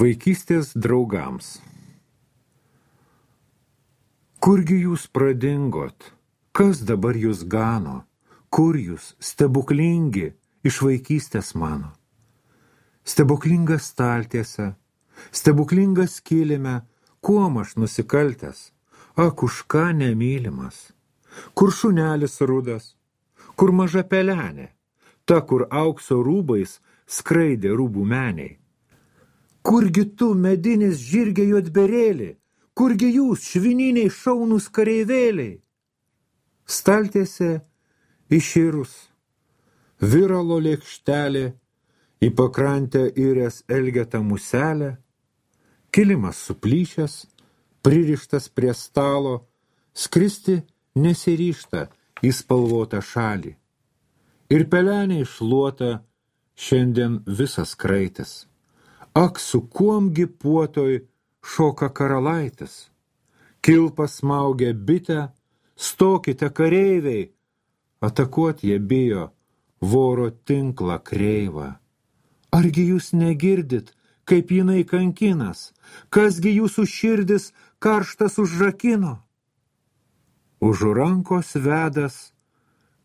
Vaikystės draugams. Kurgi jūs pradingot? Kas dabar jūs gano? Kur jūs, stebuklingi, iš vaikystės mano? Stebuklinga staltiese, stebuklinga skylime, kuom aš nusikaltęs, ak už ką nemylimas? Kur šunelis rudas, kur maža pelenė, ta, kur aukso rūbais skraidė rūbų meniai? Kurgi tu, medinis žirgė juodberėlį, kurgi jūs, švininiai šaunūs kareivėliai? Staltiese iširus, viralo lėkštelė, į pakrantę įrės elgetą muselę, kilimas suplyšęs, pririštas prie stalo, skristi nesiryžta į spalvotą šalį. Ir pelenė išluota šiandien visas kraitis. Ak, su kuomgi puotoj šoka karalaitis. Kilpa smaugia bitę, stokite kareiviai, atakuot jie bijo voro tinklą kreivą. Argi jūs negirdit, kaip jinai kankinas, kasgi jūsų širdis karštas užrakino? Už rankos vedas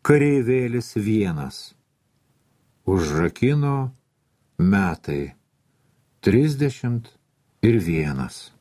kareivėlis vienas, užrakino metai 31.